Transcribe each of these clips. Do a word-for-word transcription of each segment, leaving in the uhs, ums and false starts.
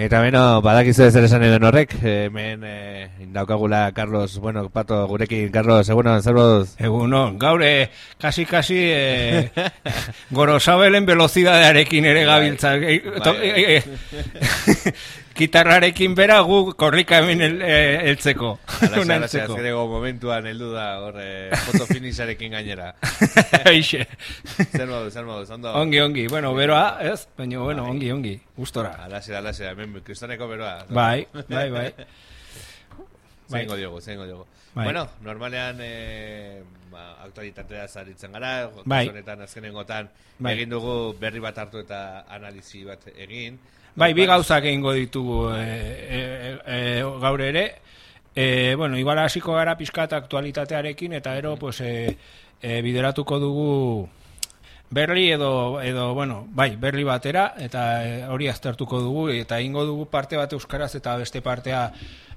Eta beno, badakizu zer esan edo horrek, hemen eh, daukagula Carlos, bueno, Pato, gurekin, Carlos, egunon, zer moduz? Egunon, gaur, eh, kasi-kasi, eh, gorosabelen velozidadearekin ere gabiltza. Eh, eh, eh, Gitarrarekin bera gu korrika hemen el, eh, eltzeko. Alaxe, alaxe, azkerego momentuan heldu da, hor, eh, foto finisharekin gainera. Eixe. Zer moduz, zer moduz, ondo? Ongi, ongi, bueno, beroa, ez? Baina, bueno, ongi, ongi, gustora. Alaxe, alaxe, hemen kristoneko beroa. Bai, bai, bai. Zeingo diogu, zeingo diogu. Bai. Bueno, normalean eh, ba, aktualitatea zaritzen gara, bai. Honetan azkenengotan bai. Egin dugu berri bat hartu eta analizi bat egin. Bai, bi gauzak egingo ditugu e, e, e, gaur ere. E, bueno, igual hasiko gara pixkat aktualitatearekin eta ero pues, e, e, bideratuko dugu berri edo, edo bueno, bai, berri batera eta e, hori aztertuko dugu eta egingo dugu parte bat euskaraz eta beste partea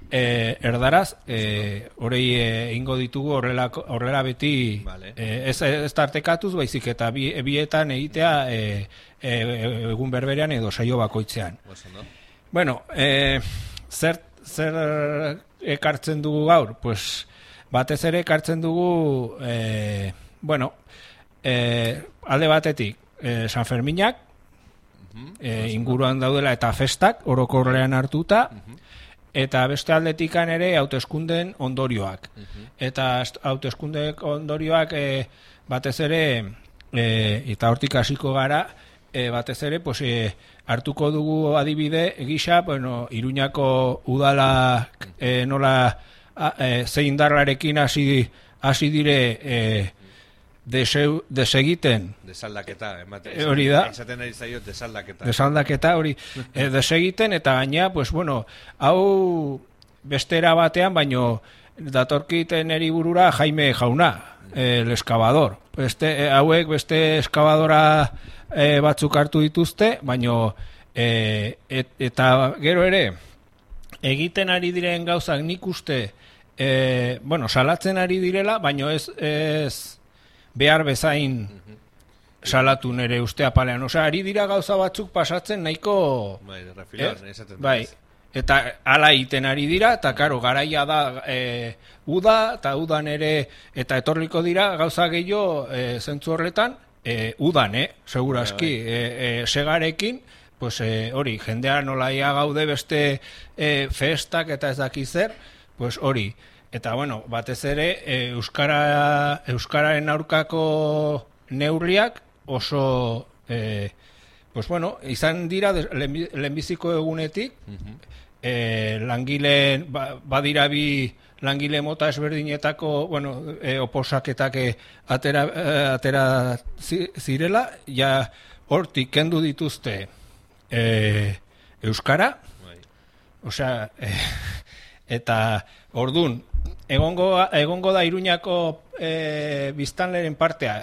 e, erdaraz. E, horei egingo ditugu horrela, horrela beti vale. e, ez, ez tartekatuz, baizik eta bi, bietan egitea e, e, egun berberean edo saio bakoitzean. No? Bueno, e, zer, zer ekartzen dugu gaur? Pues, batez ere ekartzen dugu, e, bueno, e, alde batetik, e, San Ferminak, uh-huh. e, inguruan daudela eta festak, orokorrean hartuta, uh-huh. eta beste aldetikan ere hauteskunden ondorioak. Uh-huh. Eta hauteskunde ondorioak e, batez ere, e, eta hortik hasiko gara, E, batez ere, pues, e, hartuko dugu adibide gisa, bueno, Iruñako udala e, nola e, zein darlarekin hasi hasi dire e, deseu, desegiten. Desaldaketa, emate. E, hori da. Esaten ari zaio desaldaketa. Desaldaketa hori e, desegiten eta gaina, pues, bueno, hau bestera batean, baino datorkiten eri burura Jaime Jauna, el eskabador. Beste, e, hauek beste eskabadora E, batzuk hartu dituzte, baino e, et, eta gero ere egiten ari diren gauzak nik uste e, bueno, salatzen ari direla, baino ez, ez behar bezain salatu nere uste apalean. Osea, ari dira gauza batzuk pasatzen nahiko bai, refilan, eh? bai, eta hala egiten ari dira, eta karo, garaia da e, uda, eta udan ere, eta etorriko dira gauza gehiago e, zentzu horretan, E, udan, eh, segurazki, e, e, segarekin, pues e, hori, jendea nolaia gaude beste e, festak eta ez daki zer, pues hori. Eta bueno, batez ere, e, Euskara, Euskararen aurkako neurriak oso, e, pues bueno, izan dira lehenbiziko egunetik, uh-huh. e, langileen, ba, badira bi langile mota ezberdinetako, bueno, e, oposaketak atera, atera zirela, ja hortik kendu dituzte e, Euskara, bai. Osea, e, eta ordun egongo, egongo da Iruñako e, biztanleren partea,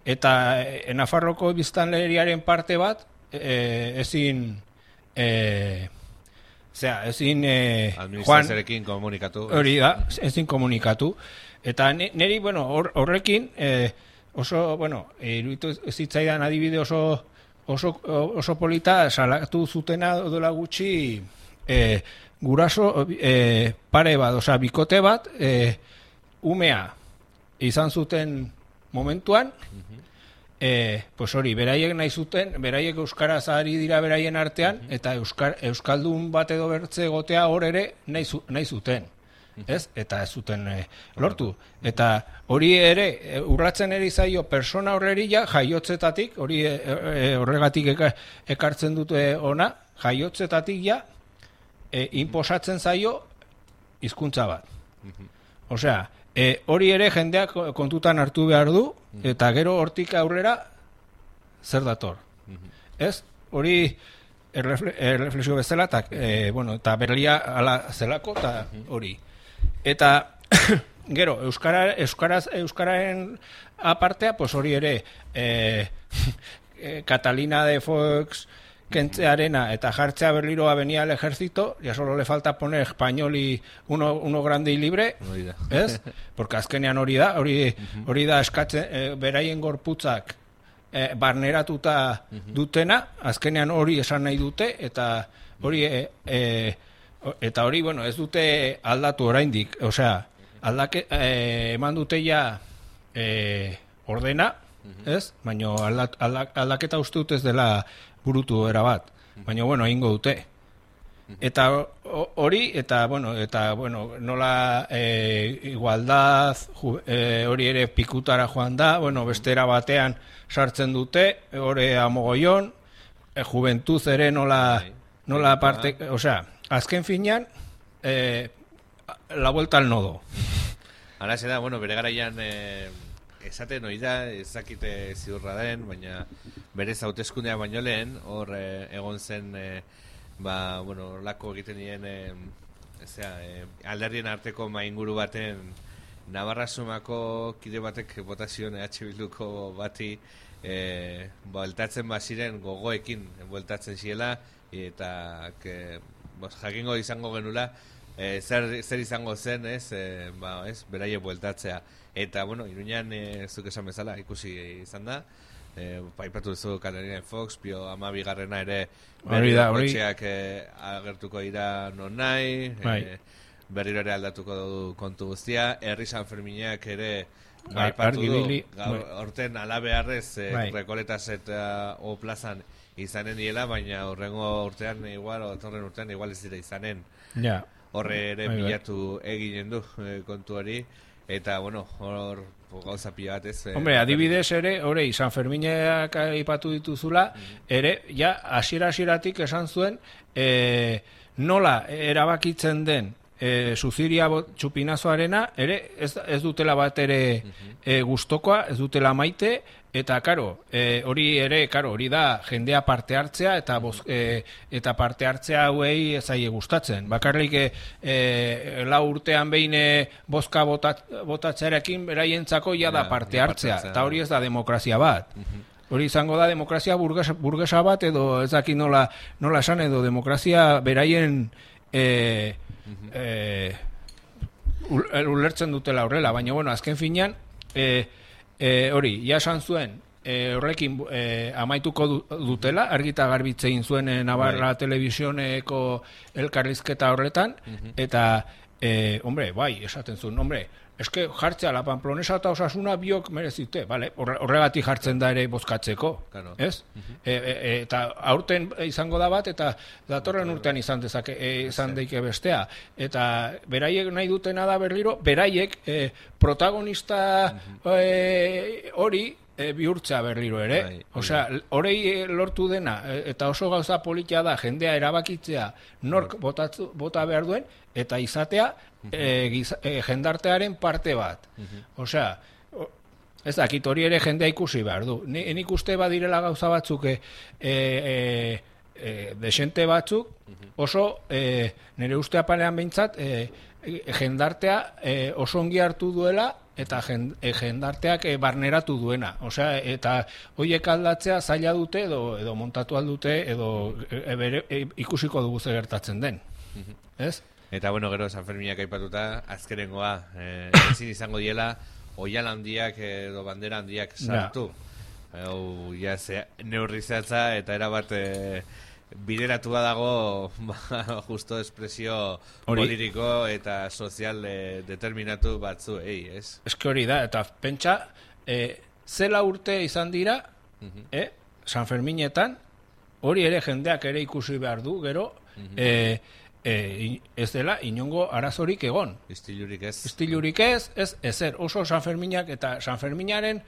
eta e, Nafarroko biztanleriaren parte bat, e, ezin... E, Osea, ezin eh, administrazioarekin komunikatu. Hori da, ezin komunikatu. Eta niri, bueno, horrekin eh, oso, bueno, iruditu zitzaidan adibide oso, oso, oso polita salatu zutena dola gutxi eh, guraso eh, pare bat, osea, bikote bat eh, umea izan zuten momentuan, uh-huh. E, pues hori, beraiek nahi zuten, beraiek euskaraz ari dira beraien artean, uh-huh. eta euskar, euskaldun bat edo bertze gotea hor ere nahi, zu, nahi zuten, uh-huh. ez? Eta ez zuten e, lortu. Eta hori ere, e, urratzen eri zaio persona horreri ja, jaiotzetatik, hori e, e, horregatik eka, ekartzen dute ona, jaiotzetatik ja, e, inposatzen zaio hizkuntza bat. Uh-huh. Osea, E, hori ere jendeak kontutan hartu behar du, eta gero hortik aurrera zer dator. Uh-huh. Ez? Hori erreflexio bezala, eta e, bueno, berlia ala zelako, eta hori. Eta gero, Euskara, Euskaraz, Euskararen apartea, pues hori ere e, e, Catalina de Foix kentzearena eta jartzea berliroa venía al ejército, ya solo le falta poner español y uno, uno grande y libre, ¿es? Porque azkenean hori da, hori, hori da eskatzen, e, beraien gorputzak e, barneratuta dutena, azkenean hori esan nahi dute, eta hori e, e, eta hori, bueno, ez dute aldatu oraindik, osea, aldake, e, eman dute ja e, ordena, ez? Baina aldak, aldak, aldaketa uste dut ez dela burutu erabat, baina, bueno, egingo dute. Eta hori, eta, bueno, eta, bueno, nola e, igualdad, ju, e, hori ere pikutara joan da, bueno, bestera batean sartzen dute, hori amogoion, e, juventuz ere nola, nola parte, osea, azken finean, eh, la vuelta al nodo. Hala da, bueno, bere garaian eh, esaten hori da, ezakite ziurra den, baina bere hauteskundea baino lehen, hor eh, egon zen, eh, ba, bueno, lako egiten dien, eh, ezea, eh, alderdien arteko mainguru baten, Navarra Sumako kide batek botazion E H Bilduko bati, eh, bueltatzen baziren gogoekin, bueltatzen ziela, eta que, bos, jakingo izango genula e, zer, zer izango zen, ez, e, ba, ez, beraie bueltatzea. Eta, bueno, Iruñan e, zuk esan bezala ikusi izan da, e, paipatu duzu Katarina Fox, bio ama bigarrena ere berriro kotxeak e, agertuko dira non nahi, e, berriro ere aldatuko du kontu guztia, herri San Ferminak ere paipatu du, horten alabearrez e, Rekoletas eta o plazan izanen diela, baina horrengo urtean igual, o torren urtean igual ez dira izanen. Ja. Horre ere bilatu eginen du e, kontu hori, eta, bueno, hor gauza pila bat ez. E, Hombre, adibidez ere, hori, San Ferminak aipatu dituzula, mm-hmm. ere, ja, hasiera-hasieratik esan zuen, e, nola erabakitzen den e, Suziria txupinazoarena, ere, ez, ez dutela bat ere mm-hmm. e, gustokoa, ez dutela maite, eta, karo, e, hori ere, karo, hori da jendea parte hartzea, eta, boz, e, eta parte hartzea hauei ezaie gustatzen. Bakarrik e, e, lau urtean behin e, bozka botat, botatzearekin beraientzako ja da parte hartzea, eta hori ez da demokrazia bat. Hori izango da demokrazia burgesa, burgesa bat, edo ez dakit nola, nola esan, edo demokrazia beraien e, e, ulertzen dutela horrela, baina, bueno, azken finean, e, E, hori, ja esan zuen, e, horrekin e, amaituko du, dutela, argita garbitzein zuen e, Navarra bai. Telebizioneko elkarrizketa horretan, uh-huh. eta, e, hombre, bai, esaten zuen, hombre, eske jartzea la Pamplonesa eta Osasuna biok merezite, vale? Horregatik jartzen da ere bozkatzeko, claro. Ez? Uh-huh. e, e, eta aurten izango da bat, eta datorren urtean izan dezake, e, izan daike bestea. Eta beraiek nahi dutena da berriro, beraiek e, protagonista uh-huh. e, hori e, bihurtzea berriro ere. Bai, osea, horei lortu dena, eta oso gauza politia da, jendea erabakitzea, nork botatzu, bota behar duen, eta izatea, E, giza, e, jendartearen parte bat. Uh-huh. Osea, ez dakit hori ere jendea ikusi behar du. Ni, nik uste badirela gauza batzuk e, e, e, desente batzuk oso e, nire uste apalean behintzat e, jendartea e, oso ongi hartu duela eta jend, e, jendarteak e, barneratu duena. Osea, eta horiek aldatzea zaila dute edo, edo montatu aldute edo e, bere, e, ikusiko dugu zer gertatzen den. Uh-huh. Ez? Eta, bueno, gero San Ferminak aipatuta, azkerengoa, eh, ezin izango diela, oial handiak edo bandera handiak sartu. Hau, ja, ze, neurri zehatza eta erabat e, bideratua dago ba, justo espresio politiko eta sozial e, determinatu batzu, ei, ez? Eske hori da, eta pentsa, e, zela urte izan dira, uh-huh. e, San Ferminetan, hori ere jendeak ere ikusi behar du, gero, uh-huh. e, E, ez dela inongo arazorik egon. Istilurik ez. Istilurik ez, ez ezer. Oso San Ferminak eta San Ferminaren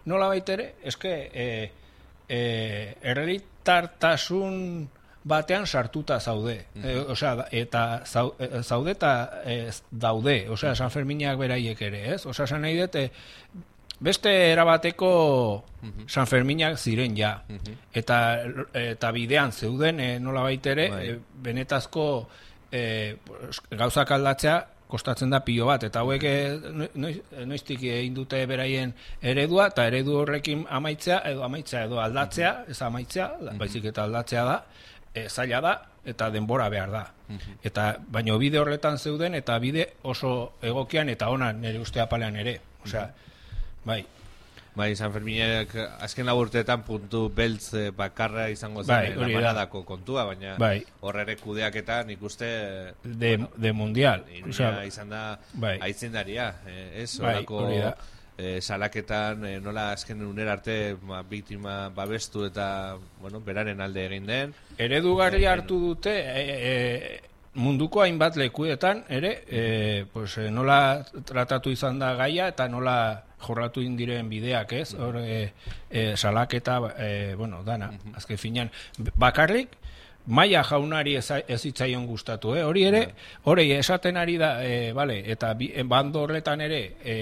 nola baitere, eske e, e, errealitartasun batean sartuta zaude. Mm-hmm. E, osea, eta zaude eta e, daude. Osea, San Ferminak beraiek ere, ez? Osea, esan nahi dut, beste erabateko mm-hmm. San Ferminak ziren ja. Mm-hmm. Eta, eta bidean zeuden e, nola baitere, e, benetazko E, gauzak aldatzea kostatzen da pilo bat, eta hauek noiz, noiztik egin dute beraien eredua, eta eredu horrekin amaitzea, edo amaitzea, edo aldatzea, ez amaitzea, mm-hmm. baizik eta aldatzea da, e, zaila da, eta denbora behar da. Mm-hmm. Eta, baino bide horretan zeuden, eta bide oso egokian, eta ona nire uste apalean ere. Osea, mm-hmm. bai. Bai, San Ferminek azken laburteetan puntu beltz bakarra izango zen bai, lamanadako kontua, baina bai. Hor ere kudeaketan ikuste de, bueno, de mundial. O sea, izan da bai. aitzindaria, ez? Bai, Horako eh, salaketan eh, nola azken unera arte ma, biktima babestu eta bueno, beraren alde egin den. Eredugarri hartu dute e, e, munduko hainbat lekuetan ere e, pues, e, nola tratatu izan da gaia eta nola jorratu indiren bideak, ez? Hor e, e, salaketa e, bueno, dana, azken finean bakarrik Maia jaunari ez, ez hitzaion gustatu, eh? Hori ere, hori esaten ari da, e, vale, eta bi, bando horretan ere e,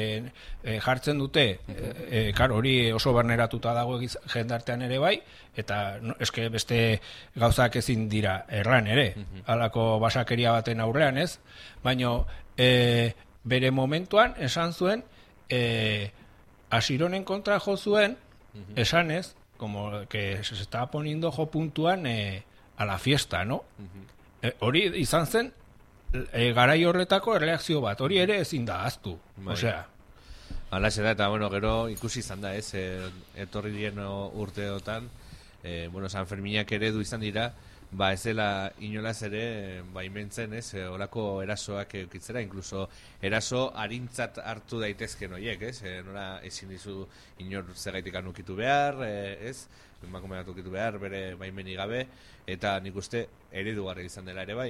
e, jartzen dute, e, e, kar, hori oso barneratuta dago jendartean ere bai, eta no, eske beste gauzak ezin dira erran ere, halako basakeria baten aurrean, ez? Baina e, bere momentuan esan zuen, e, Asironen kontra jo zuen, esanez, como que se estaba poniendo jo puntuan, e, a la fiesta, no? Uh-huh. E, hori izan zen e, garai horretako erreakzio bat, hori ere ezin da ahaztu. Bai. Osea, alaxe da, eta bueno, gero ikusi izan da, ez, e, etorri dien urteotan, e, bueno, San Ferminak ere du izan dira, ba ez dela inolaz ere baimentzen, ez, olako erasoak eukitzera, incluso eraso arintzat hartu daitezken horiek, ez, e, nola ezin dizu inor zegaitik anukitu behar, e, ez, emakume bat ukitu behar, bere baimeni gabe, eta nik uste eredugarri izan dela ere bai,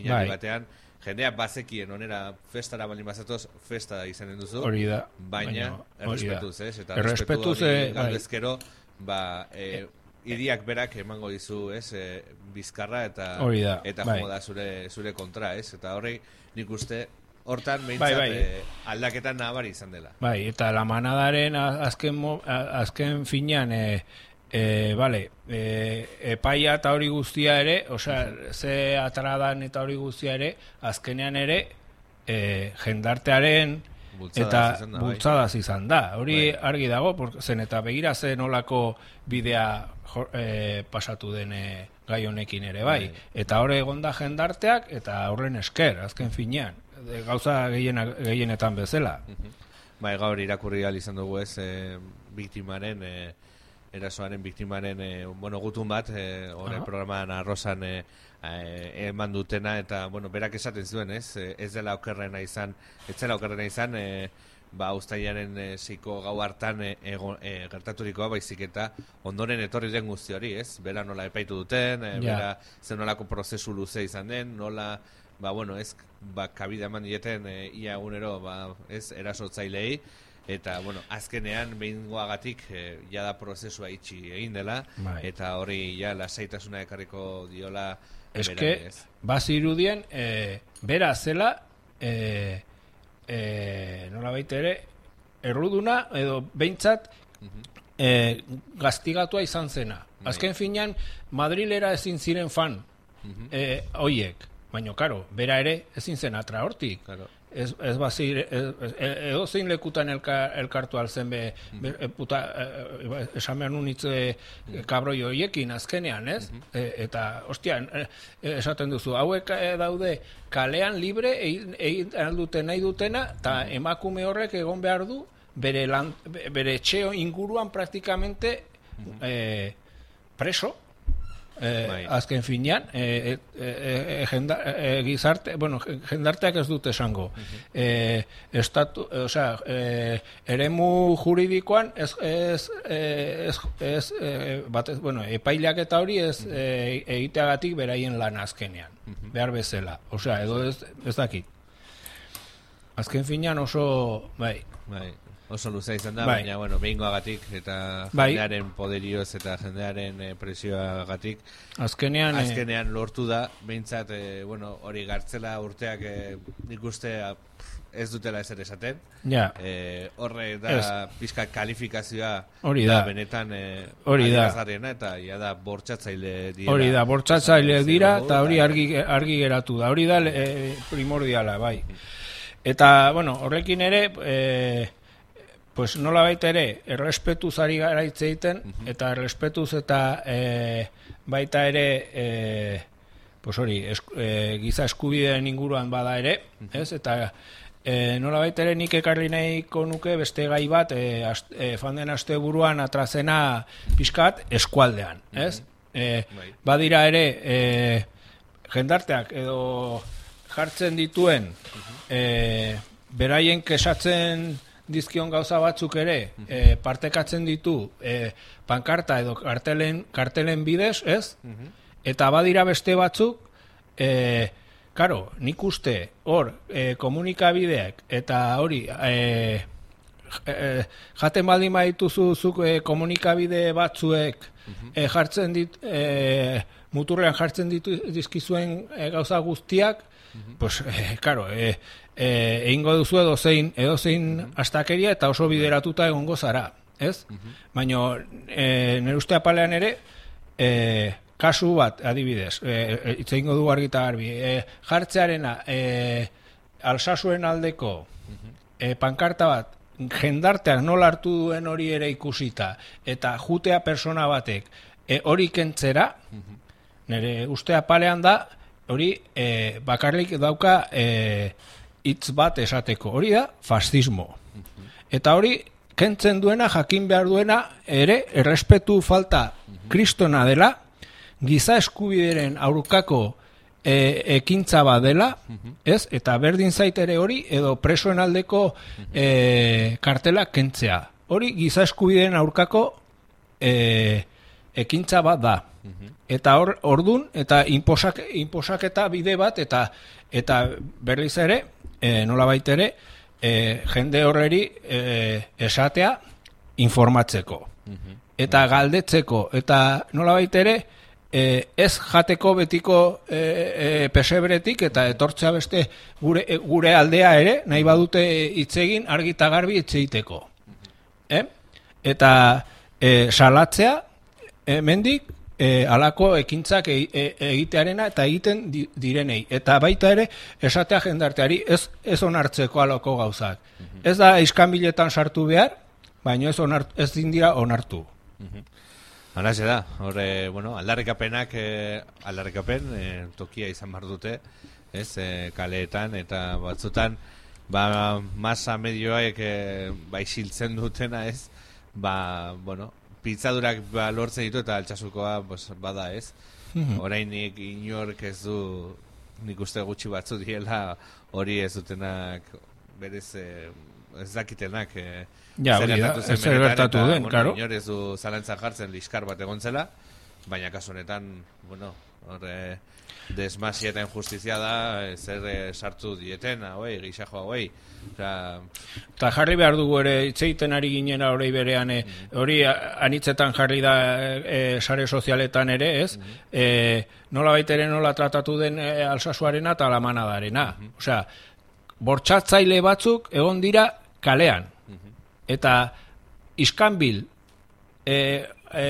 inari batean, jendea bazekien onera festara baldin bazatoz, festa izanen duzu, hori da, baina errespetuz, ez, eta errespetu hori galdezkero, ba, e, iriak berak emango dizu, ez, e, bizkarra eta da, eta bai. jomo da zure, zure kontra, ez, eta horri nik uste hortan behintzat bai, bai. E, aldaketan nabari izan dela. Bai, eta la manadaren azken, mo, azken finean, e, E, vale, e, epaia eta hori guztia ere, osea, ze atradan eta hori guztia ere, azkenean ere, e, jendartearen eta bultzadaz izan da. Hori bai. Argi dago, zen eta begira zen olako bidea e, pasatu den e, gai honekin ere, bai. bai. Eta hori egonda jendarteak, eta horren esker, azken finean, e, gauza gehiena, gehienetan bezala. Bai, gaur irakurri ahal izan dugu ez, e, biktimaren... E, erasoaren biktimaren e, bueno, gutun bat e, hori programan arrozan e, e, eman dutena eta bueno, berak esaten zuen ez e, ez dela okerrena izan ez dela okerrena izan e, ba, ustailaren e, seiko gau hartan e, e, gertaturikoa baizik eta ondoren etorri den guzti hori ez bera nola epaitu duten e, bera zen nolako prozesu luze izan den nola ba, bueno, ez ba, kabida eman dieten e, ia egunero ba, ez erasotzailei eta, bueno, azkenean behingoagatik e, jada prozesua itxi egin dela, bai. Eta hori ja lasaitasuna ekarriko diola eske, bazirudien e, bera zela e, e, nola baita ere erruduna edo behintzat uh-huh. e, gaztigatua izan zena bai. Azken finean Madrilera ezin ziren fan uh-huh. e, oiek, baina karo, bera ere ezin zen atra hortik claro. Ez, ez bazir, edo zein lekutan elkar, elkartu alzen be, be puta, e, esan behar nunitze kabroi horiekin azkenean, ez? Uh-huh. E, eta, ostia, e, esaten duzu, hauek daude kalean libre egin egin aldute nahi dutena, eta uh-huh. emakume horrek egon behar du, bere, lan, bere etxeo inguruan praktikamente uh-huh. e, preso, Eh, azken finean eh, eh, eh, eh, gizarte, bueno, jendarteak ez dute esango uh-huh. eh, estatu, eh, osea, eh, eremu juridikoan ez, ez, eh, ez, ez eh, batez, bueno, epaileak eta hori ez uh-huh. eh, egiteagatik beraien lan azkenean uh-huh. behar bezala, osea, edo ez, ez dakit azken finean oso bai, bai. Oso luzea izan da, bai. Baina, bueno, behingoagatik eta bai. Jendearen poderioz eta jendearen e, presioagatik azkenean, azkenean e... lortu da, behintzat, e, bueno, hori gartzela urteak e, nik uste ez dutela ezer esaten. Ja. E, horre da pizka kalifikazioa hori da. Benetan e, hori da. Eta ja da bortxatzaile dira. Hori da, bortxatzaile dira eta hori argi, argi geratu da. Hori da e, primordiala, bai. Eta, bueno, horrekin ere... E, pues nola baita ere, errespetuz ari gara hitz egiten, uh-huh. eta errespetuz eta e, baita ere, e, pues hori, es, e, giza eskubideen inguruan bada ere, uh-huh. ez? Eta e, nola baitere nik ekarri nahiko nuke beste gai bat, e, ast, e, fanden aste buruan atrazena pixkat eskualdean, ez? Mm-hmm. e, badira ere, e, jendarteak edo jartzen dituen, e, beraien kesatzen dizkion gauza batzuk ere, e, partekatzen ditu e, pankarta edo kartelen, kartelen bidez, ez? Eta badira beste batzuk, e, karo, nik uste hor e, komunikabideak eta hori e, e, jaten baldin badituzu zuk e, komunikabide batzuek e, jartzen dit, e, muturrean jartzen ditu dizkizuen e, gauza guztiak, pues, e, karo, e, e, egingo duzu edozein, edozein astakeria eta oso bideratuta egongo zara, ez? Baina e, nire uste apalean ere, e, kasu bat, adibidez, e, hitz egingo du argi eta garbi, e, jartzearena e, Alsasuen aldeko e, pankarta bat, jendarteak nola hartu duen hori ere ikusita, eta jutea persona batek e, hori kentzera, nire uste apalean da, hori e, bakarrik dauka e, hitz bat esateko, hori da fascismo. Eta hori kentzen duena, jakin behar duena, ere errespetu falta kristona dela, giza eskubideren aurkako e, ekintza bat dela, ez? Eta berdin zait ere hori, edo presoen aldeko e, kartela kentzea. Hori giza eskubideren aurkako e, ekintza bat da. Eta hor, ordun, eta inposak, inposaketa bide bat, eta eta berriz ere, e, nola baitere, e, jende horreri e, esatea informatzeko. Eta galdetzeko, eta nola baitere, E, ez jateko betiko e, e, pesebretik eta etortzea beste gure, e, gure aldea ere, nahi badute hitzegin argi eta garbi hitz egiteko. Eh? Eta e, salatzea, hemendik e, alako ekintzak e, e, egitearena eta egiten di, direnei. Eta baita ere, esatea jendarteari ez, ez onartzeko alako gauzak. Ez da iskanbiletan sartu behar, baina ez, onart, ez dindira onartu. Hala ze da, horre, bueno, aldarrikapenak, eh, aldarrikapen, eh, tokia izan behar dute, ez, eh, kaleetan, eta batzutan, ba, masa medioak eh, ba, isiltzen dutena, ez, ba, bueno, pizzadurak ba, lortzen ditu eta altxasukoa pues, bada, ez, orainik inork ez du, nik uste gutxi batzu diela, hori ez dutenak, berez, eh, ez dakitenak, eh, ja, zer gertatu zen zer gertatu eta, den, bueno, claro. Inor ez du zalantzan jartzen liskar bat egon zela, baina kasu honetan, bueno, hor eh, desmasia eta injustizia da, eh, zer eh, sartu dieten, hauei, gixajo hauei. Eta jarri behar dugu ere, itzeiten ari ginen hori berean, eh, hori anitzetan jarri da eh, sare sozialetan ere, ez? Mm -hmm. eh, nola baitere nola tratatu den eh, Alsasuarena eta Alamanadarena. Mm -hmm. Osea, bortxatzaile batzuk egon dira kalean. Eta iskanbil e, e,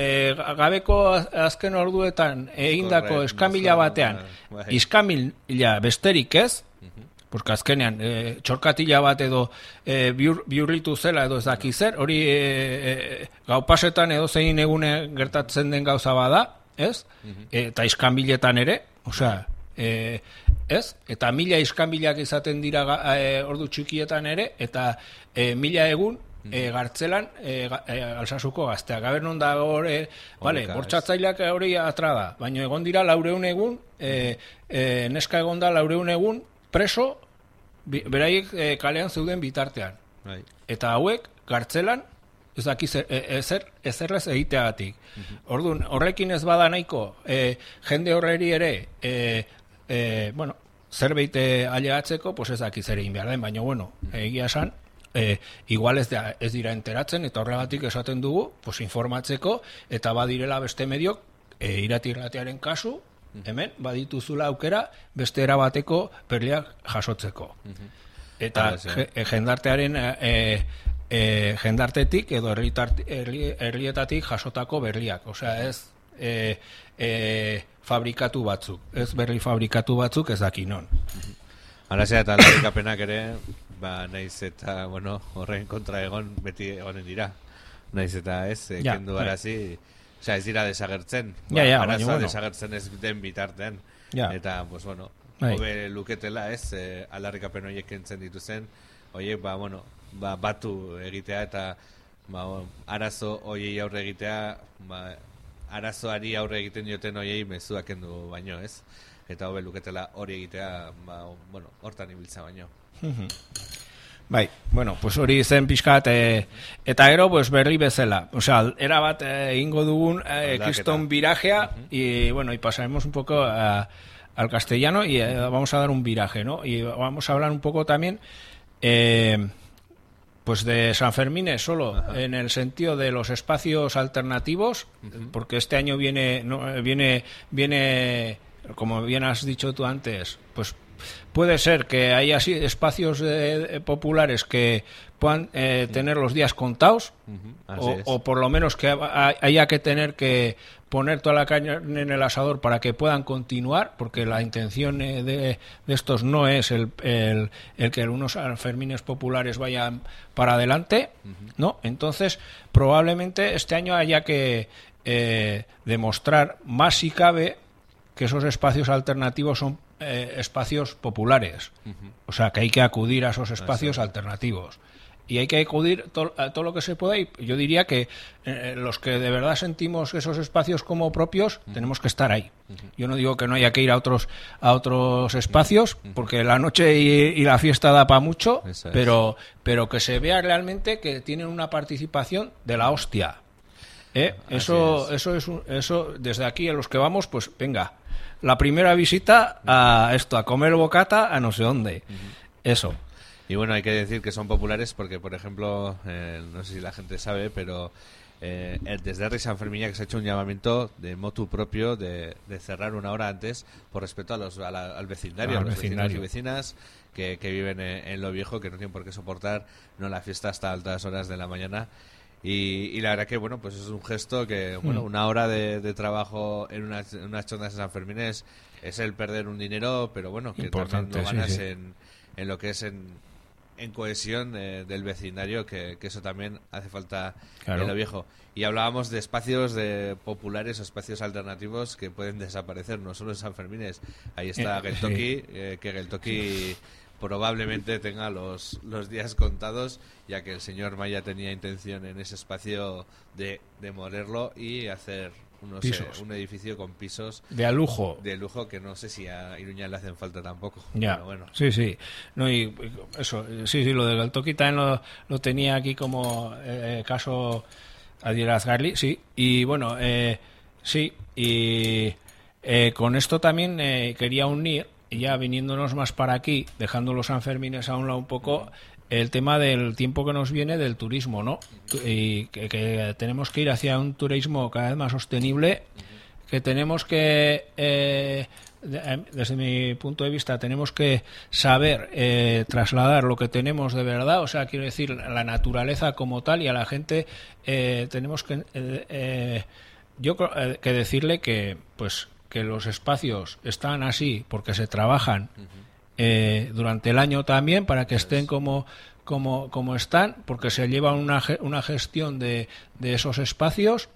gabeko azken orduetan egindako eskanbila batean iskanbila besterik ez, porque azkenean e, txorkatila bat edo e, biur, biurritu zela edo ez daki zer, hori e, e, gaupasetan edo zein egune gertatzen den gauza bada, ez? E, eta iskanbiletan ere, osea, e, ez? Eta mila iskanbilak izaten dira e, ordu txikietan ere, eta e, mila egun E, gartzelan e, e, Alsasuko gazteak. Gaber non da hori, vale, bortxatzaileak hori atra da, baina egon dira laureun egun, e, e, neska egon da laureun egun preso, bi, beraiek e, kalean zeuden bitartean. Right. Eta hauek gartzelan, ez daki zer, e, ezer, ezerrez egiteagatik. Uh-huh. Orduan, horrekin ez bada nahiko, e, jende horreri ere, e, e, bueno, zerbait ailegatzeko, pues ez daki zer egin behar den, baina bueno, egia esan, E, igual ez, da, ez dira enteratzen eta horregatik esaten dugu pues, informatzeko eta badirela beste mediok e, irati-iratiaren kasu hemen badituzula aukera beste erabateko perliak jasotzeko eta je, jendartearen e, e, jendartetik edo herrietatik jasotako berliak, osea ez e, e, fabrikatu batzuk, ez berri fabrikatu batzuk ez daki non. Alazea eta aldarrikapenak ere, ba, naiz eta, bueno, horren kontra egon, beti egonen dira. Naiz eta ez, e, ja, kendu arazi, osea, ez dira desagertzen. Ja, ja, arazoa bueno. Desagertzen ez den bitartean. Ja. Eta, pues, bueno. hobe luketela, ez, e, aldarrikapen horiek kentzen dituzen, horiek, ba, bueno, ba, batu egitea eta ba, arazo horiei aurre egitea, ba, arazoari aurre egiten dioten horiei mezuak kendu baino, ez? Eta hobe luketela hori egitea, ba, bueno, hortan ibiltza baino. Bai, bueno, pues hori zen pixkat, e, eta gero, pues berri bezala. O sea, era bat egingo eh, dugun eh, kriston virajea, uh-huh. y bueno, y pasaremos un poco a, al castellano y eh, vamos a dar un viraje, ¿no? Y vamos a hablar un poco también, eh, pues de San Fermín solo, uh-huh. en el sentido de los espacios alternativos, uh-huh. porque este año viene, no, viene, viene, como bien has dicho tú antes, pues puede ser que haya así espacios eh, populares que puedan eh, tener los días contados, uh-huh. o, o por lo menos que haya que tener que poner toda la carne en el asador para que puedan continuar, porque la intención de, de estos no es el, el, el que unos Sanfermines populares vayan para adelante, uh-huh. ¿no? Entonces, probablemente este año haya que eh, demostrar más si cabe que esos espacios alternativos son eh, espacios populares. Uh-huh. O sea, que hay que acudir a esos espacios Exacto. alternativos. Y hay que acudir to- a todo lo que se pueda. Y yo diría que eh, los que de verdad sentimos esos espacios como propios, uh-huh. tenemos que estar ahí. Uh-huh. Yo no digo que no haya que ir a otros a otros espacios, uh-huh. porque la noche y, y la fiesta da para mucho, es. pero, pero que se vea realmente que tienen una participación de la hostia. ¿Eh? Eso, es. eso es un, eso desde aquí a los que vamos, pues venga, la primera visita a esto, a comer bocata a no sé dónde. Uh-huh. Eso. Y bueno, hay que decir que son populares porque, por ejemplo, eh, no sé si la gente sabe, pero eh, desde Herri San Fermín que se ha hecho un llamamiento de motu propio de, de cerrar una hora antes por respeto a los, a la, al vecindario, ah, a los vecindario. vecinos y vecinas que, que viven en, en Lo Viejo, que no tienen por qué soportar no la fiesta hasta altas horas de la mañana. Y, y la verdad que, bueno, pues es un gesto que, bueno, mm. una hora de, de trabajo en unas, en unas chondas de San Fermín es, es el perder un dinero, pero bueno, que también lo ganas sí, sí. En, en lo que es en, en cohesión eh, del vecindario, que, que eso también hace falta claro. en Lo Viejo. Y hablábamos de espacios de populares o espacios alternativos que pueden desaparecer, no solo en San Fermín. Ahí está eh, Geltoki, sí. eh, que Geltoki... Sí. probablemente tenga los, los días contados, ya que el señor Maya tenía intención en ese espacio de demolerlo y hacer unos, eh, un edificio con pisos de a lujo de lujo que no sé si a Iruña le hacen falta tampoco. Ya, pero bueno. sí, sí. No, y eso, sí, sí, lo del Geltoki también lo, lo tenía aquí como eh, caso Adierazgarli, sí. Y bueno, eh, sí, y eh, con esto también eh, quería unir, ya viniéndonos más para aquí, dejando los Sanfermines a un lado un poco, el tema del tiempo que nos viene del turismo, ¿no? Y que, que tenemos que ir hacia un turismo cada vez más sostenible, que tenemos que, eh, desde mi punto de vista, tenemos que saber eh, trasladar lo que tenemos de verdad, o sea, quiero decir, la naturaleza como tal, y a la gente eh, tenemos que, eh, eh, yo creo que decirle que, pues, que los espacios están así porque se trabajan uh-huh. eh, durante el año también para que estén como como como están, porque se lleva una una gestión de, de esos espacios.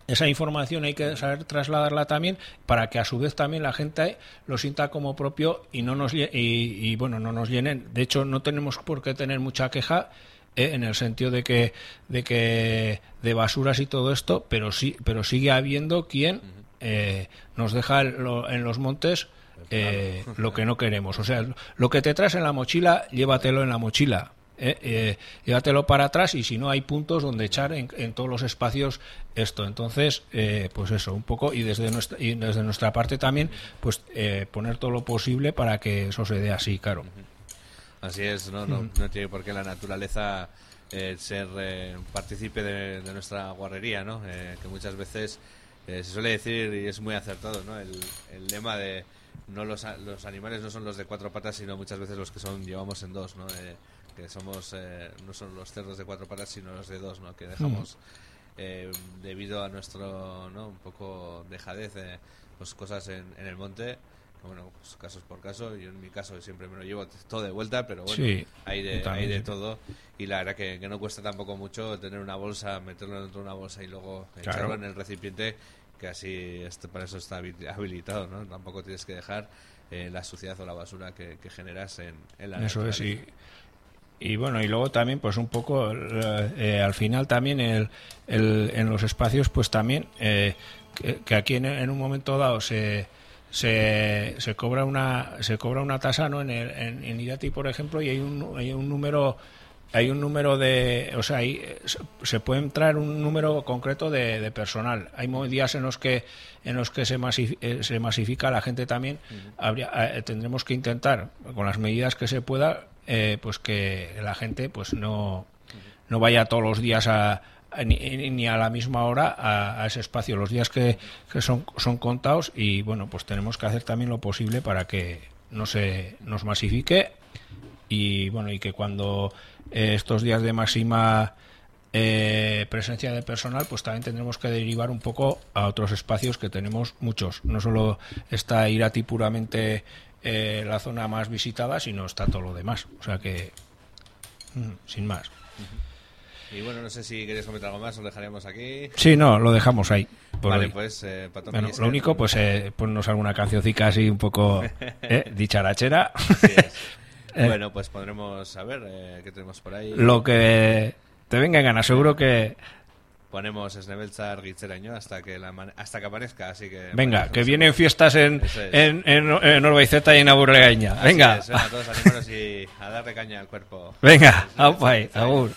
Esa información hay que saber trasladarla también para que a su vez también la gente lo sienta como propio y no nos y, y bueno no nos llenen. De hecho, no tenemos por qué tener mucha queja eh, en el sentido de que de que de basuras y todo esto, pero sí pero sigue habiendo quien uh-huh. Eh, nos deja lo, en los montes eh, lo que no queremos. O sea, lo que te traes en la mochila, llévatelo en la mochila. Eh, eh, llévatelo para atrás y si no hay puntos donde echar en, en todos los espacios esto. Entonces, eh, pues eso, un poco y desde nuestra, y desde nuestra parte también, pues eh, poner todo lo posible para que eso se dé así, claro. Así es, no, no, no tiene por qué la naturaleza eh, ser eh, partícipe de, de nuestra guarrería, ¿no? Eh, que muchas veces Eh, se suele decir, y es muy acertado, ¿no? El, el lema de no los, los animales no son los de cuatro patas, sino muchas veces los que son llevamos en dos, ¿no? Eh, que somos eh, no son los cerdos de cuatro patas, sino los de dos, ¿no? Que dejamos eh, debido a nuestro, ¿no? Un poco dejadez, eh, pues cosas en, en el monte. Bueno, pues casos por caso. Yo en mi caso siempre me lo llevo todo de vuelta, pero bueno, sí, hay de hay de todo. Y la verdad que, que no cuesta tampoco mucho tener una bolsa, meterlo dentro de una bolsa y luego claro. echarlo en el recipiente que así este, para eso está habilitado, ¿no? Tampoco tienes que dejar eh, la suciedad o la basura que, que generas en, en la Eso es, y, y bueno, y luego también pues un poco eh, al final también el, el, en los espacios pues también eh, que, que aquí en, en un momento dado se se, se cobra una se cobra una tasa, ¿no? En, el, en, en Irati, por ejemplo, y hay un hay un número hay un número de, o sea, ahí se puede entrar un número concreto de, de personal. Hay días en los que en los que se, masif, se masifica la gente también. Uh-huh. Habría, eh, tendremos que intentar, con las medidas que se pueda, eh, pues que la gente pues no, uh-huh. no vaya todos los días a, a ni, ni a la misma hora a, a ese espacio. Los días que, que son, son contados y bueno, pues tenemos que hacer también lo posible para que no se nos masifique y bueno, y que cuando eh, estos días de máxima eh, presencia de personal, pues también tendremos que derivar un poco a otros espacios que tenemos muchos. No solo está Irati puramente eh, la zona más visitada, sino está todo lo demás. O sea que, mm, sin más. Y bueno, no sé si queréis comentar algo más, os dejaríamos aquí. Sí, no, lo dejamos ahí. Vale, hoy. pues, eh, Pato, bueno, lo único, pues, eh, ponnos alguna cancioncica así un poco eh, dicharachera. Sí, eh, bueno, pues podremos saber eh, qué tenemos por ahí. Lo que te venga en gana, seguro que ponemos Snebeltzar Gitzeraino hasta que la man... hasta que aparezca, así que venga, bueno, que vienen fiestas en es. en, en, en Orbaizeta y en Aburregaña. Venga, es, venga, todos animaros y a darle caña al cuerpo. Venga, aupa, agur.